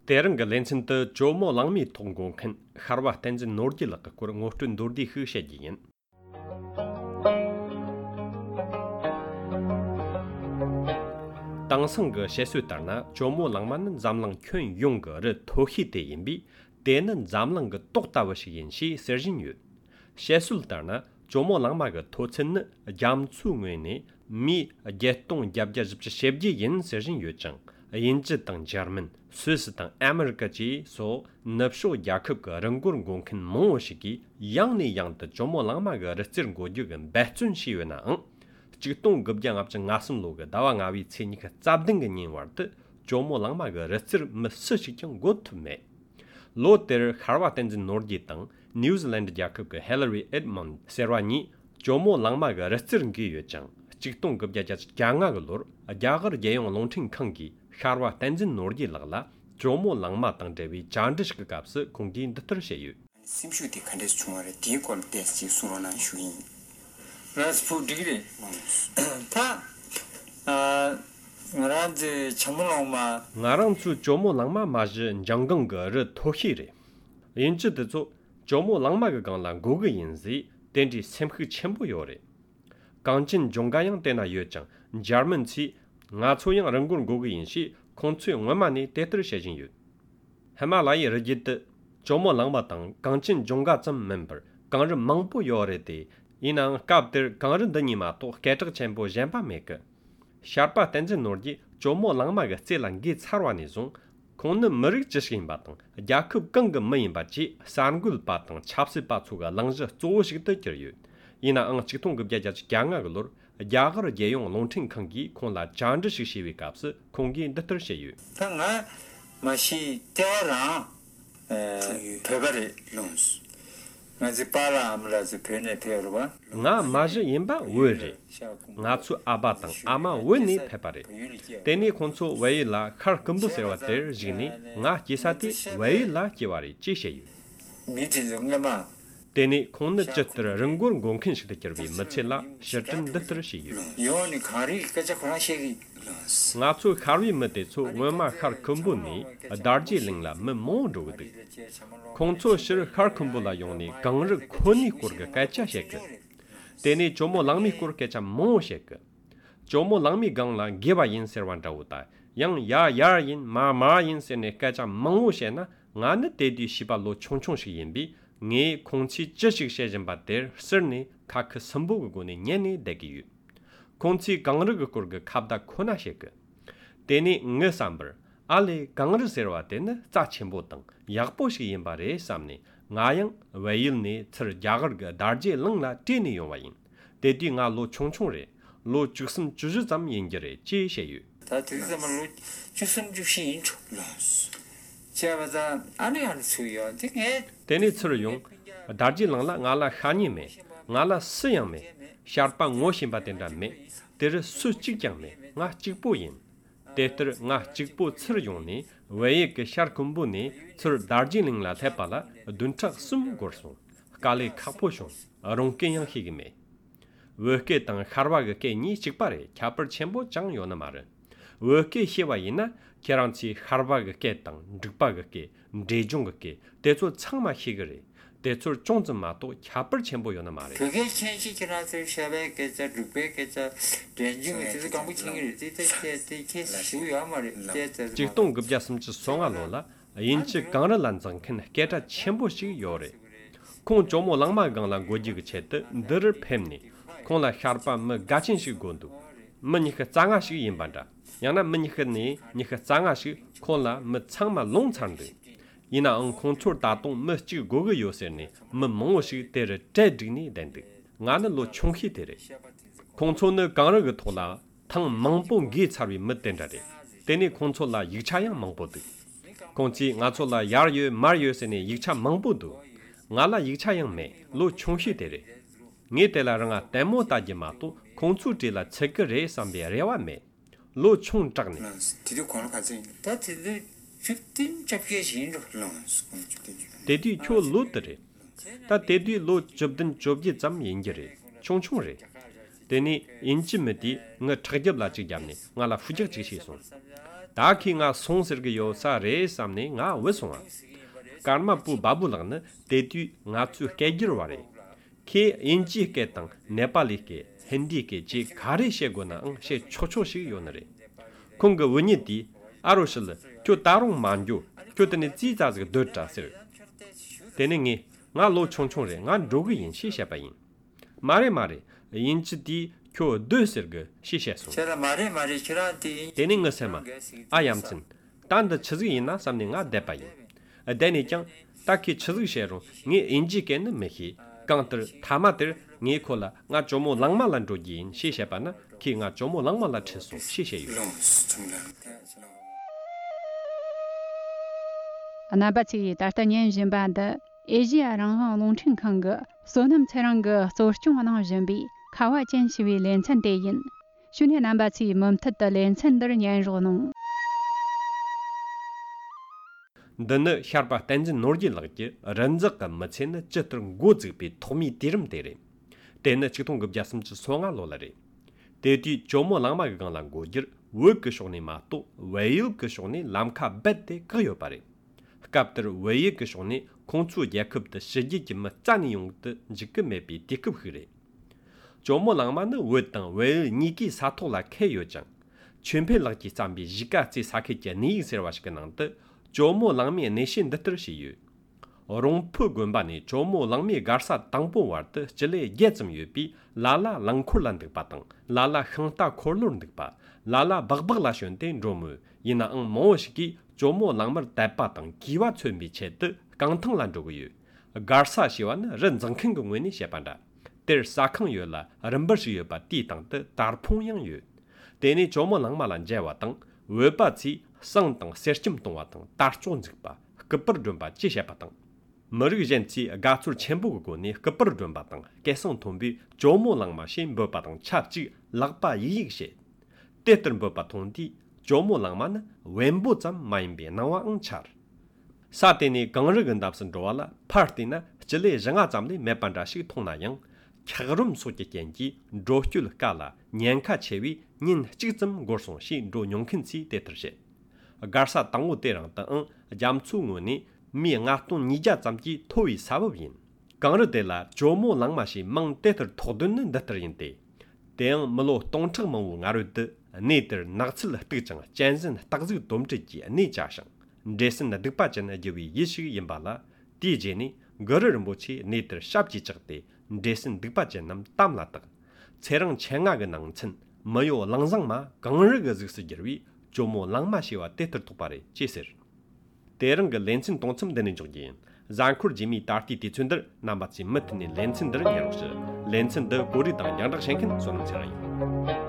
Tereng lensin te jomo langmi tonggong kan harwa tenzin nordi la kur ngotun dordi hu shejin. Tangsang ge shesu tarna jomo langman zamlang kyun yong ge re tohi de yinbi denen zamlang ge tokta wa shi yin shi serjin yu. Shesul tarna jomo langma ge tochen jamchu ngwe ne mi getong gyabja jibje shebji yin serjin yu chang. Yinzi tang German, Swiss tang America ji so napsho yakub ge renggur gongkin mo shigi yang ni yang de jomo langma ge retsir goju gen bahchun shi yu na ang. Jigtong gubjang ap chang ngasum lo ge dawa ngawi cheni ge zabding ge nin war de jomo langma ge retsir mse shi kyang got me. Lo ter harwa tenzin nordi tang New Zealand yakub ge Hillary Edmond serwani jomo langma ge retsir ngi yu chang. Jigtong gubja ja gyanga ge lor ajagar yeyong longting khangi Harwa tenzin nordi lagla jomo langma tang dewi jandish ka kapse kongdi ndatar sheyu. Simshu di kandes chungare di kol desi surona shuin. Raspu digre. Ta ngaranje chamulongma Ngarang chu jomo langma ma ji jangang ge re tohi re. Yinchi de zo jomo langma ge gang lang go ge yinzi denji semkhu chenbo yo re. Gangjin jonggayang tena yo chang German chi nga choyang rangun gogo yinshi kongcui ngwamani tetar shejin yu. Himalaya rajit jomo langma tang gangchin jonga tsam member gangri mangpo yore de inang kapdir gangri dani ma to kachag chenpo jenpa meka. Sharpa tenzin nordi jomo langma ga tselang gi tsarwa ni zong kongna marik jishkin batang yakub ganga mayin bachi sangul batang chapsi batsuga langzha zoshik de kir yu. Ina ang chiktung gubja jach gyanga galor 야가르 예용 롱팅 칸기 콘라 잔드식 시위 값스 공기 인더터 셰유 당아 마시 때랑 페바리 론스 나지 파라 암라지 페네 페르바 나 마지 임바 외리 나츠 아바당 아마 외니 페바리 데니 콘초 웨이라 칼 금부세와데 지니 나 기사티 웨이라 기와리 지셰유 미진정가마 데니 콘느 쩨트르 릉군 공킨 시데 겨비 마첼라 셔튼 드트르 시유 요니 카리 까자 코나시기 나츠 카리 메데초 웨마 칼 금부니 다르지링라 메몬도데 콘초 시르 칼 금부라 용니 강르 코니 코르가 까차 셰크 데니 조모 랑미 코르케차 모 셰크 조모 랑미 강라 게바 인 세르완다우다 양 야야인 마마인 세네 까차 몽우 셰나 나네 데디 시발로 총총시 인비 nge kongchi chishik shejen bater sirni kak sambu guni nyeni degiyu. Kongchi gangrig kurga kabda kona shek. Deni nge sambar, ali gangrig serwa ten za chenpo tang, yakpo shik yinbare samni, ngayang wayil ni tsir yagarga darje langla teni yongwayin. Dedi nga lo chongchong re, lo chuksum chuju zam yingire chi sheyu. 다 들으면 로 주선 주시 인초 제가 안에 할 수요. 되게 Teni tsir yung, darji langla ngala khani me, ngala siyang me, sharpa ngo shimba tenda me, ter su chikyang me, nga chikpo yin. Ter nga chikpo tsir yung ni, weye ke shar kumbu ni, tsir darji langla thepa la, dunchak sum gorsung, kali kakpo shung, rongken yang higi me. Weke tang kharwa ke ni chikpare, kyapar chenpo chang yo na mara. Weke hewa ina, keranchi kharwa ke tang, drikpa ke, ndejung ke, 대초 창마 희그리 대초 종점 마도 캬벌 첨보 요나 말이 그게 천시 지나서 샤베께서 룩베께서 렌징에서 강부킹을 이제 쉬우야 말이 직동 급자슴지 송알로라 인치 강을 란장큰 게다 첨보식 요래 콩 조모 랑마 강랑 고지그 쳇드 늘 팸니 콩라 샤르파 뭐 가친식 gond도 뭐니가 장아식 인반다 야나 뭐니가니 니가 장아식 콩라 뭐 창마 롱창데 이나 응 컨트롤 다동 머치 고고 요세니 머몽시 데르 데디니 덴데 나는 로 총히 데레 컨트롤의 강르가 토라 탕 망봉기 차비 못된다데 데니 컨트롤라 이차양 망보드 공지 나초라 야르유 마르유세니 이차 망보도 나라 이차양 메로 총히 데레 니텔라랑아 데모 따지마도 컨트롤라 체크레 삼베레와 메로 총작네 디디 권을 가지 다 디디 15 잡히신 데디 초 로드레 다 데디 로 접든 접지 잠 인게레 총총레 데니 인치메디 nga thajab la chi jamni nga la fujik chi shi so 다키 nga 송스르게 요사 레 삼네 nga 외송아 karma pu babu lagna tetu nga chu kegir ware ke inji ke tang nepali ke hindi ke ji gare she gona ang she chocho shi yonare kong ge woni di aroshil kyo tarong manju kyo tene ji za zge de ta sir tene ngi nga lo chong chong re nga rogi yin shi sha ba yin mare inji di kyo de sir ge shi sha so 제가 말에 키라한테 tene nga sema ayamchin tan da chizgi yin na samne nga de ba yin deni kyang taki chizgi shero ngi inji ken mehi kantar thamatir ngi khola nga chomo langma lan ro yin shi she pa na ki nga chomo langma la cheso shi she yu 이런 스톰라 Anabati D'Artagnan Jimbanda, Asia Ranghang Longchen Kanga, Sonam Teranga, Sochung Anang Jimbi, Kawa Jianxiwi Lianchan Deyin, Shunyan Nambati Mumtat the Lianchan Der Nyan Ronong. dana harpa tanjin norji lagje ranzak ka machen chitr ngozig bi thomi dirim dere dena chitong gab jasam chi songa lolare dedi chomo langma ga lang gojir wo ke shoni ma to wayu ke shoni lamka bette gyo pare kapter wayu ke shoni kongchu yakub de shiji ji ma zani yong de jik me bi dikub hire chomo langma ne wo tang wayu ni ki sa to la ke yo jang chunpe lagji sambi jika chi sakhe je ni ser wash nang de 조모 랑미 내신得得시유 어롱푸 군바니 조모 랑미 가르사 당보 와르드 질레 예점 유비 라라 랑쿨란드 바당 라라 흥타 콜론드 바 라라 bagbag라션데 로무 이나 응 모시기 조모 랑머 대바당 기와 쳔비 체드 강통란 조고유 가르사 시완 렌정큰 공원이 셰반다 들 사坑유라 럼버시 유바 디당데 다르퐁양 유 데니 조모 랑마란 제와당 외바치 상당 세심 동화등 다르존직바 급벌 좀바 지셔바등 머르기젠치 가출 첨부고니 급벌 좀바등 개성 돈비 조모랑마신 버바등 차지 락바 이익시 때들 버바 돈디 조모랑만 웬보점 마인비 나와 응차 사테니 강르근답선 조알라 파티나 질레 정아 잠리 메반다시 통나양 캬그름 소게 겐지 조휴르 깔라 년카 체위 닌 직점 고송시 조용큰치 데트르시 가르사 당고 때랑 땅 잠추고니 미앙아톤 니자 잠지 토이 사법인 강르데라 조모 랑마시 망데터 토드는 데터인데 대응 물로 동측멍우 나르드 네들 낙칠 뜨정 젠슨 딱즈 dom지지 네자상 데슨 득바전 제위 예시 임발라 디제니 거르르 모치 네들 샵지 적대 데슨 득바전 남 땀라다 체랑 챙아가 낭친 머요 랑상마 강르가 즉스지르위 조모 랑마시와 때터 똑바레 제ser 대릉가 렌친 동침 되는 적인 잔쿠르 지미 다르티 티춘들 남바치 멋니 렌친들 냥스 렌친더 고리당 양덕 생킨 손처럼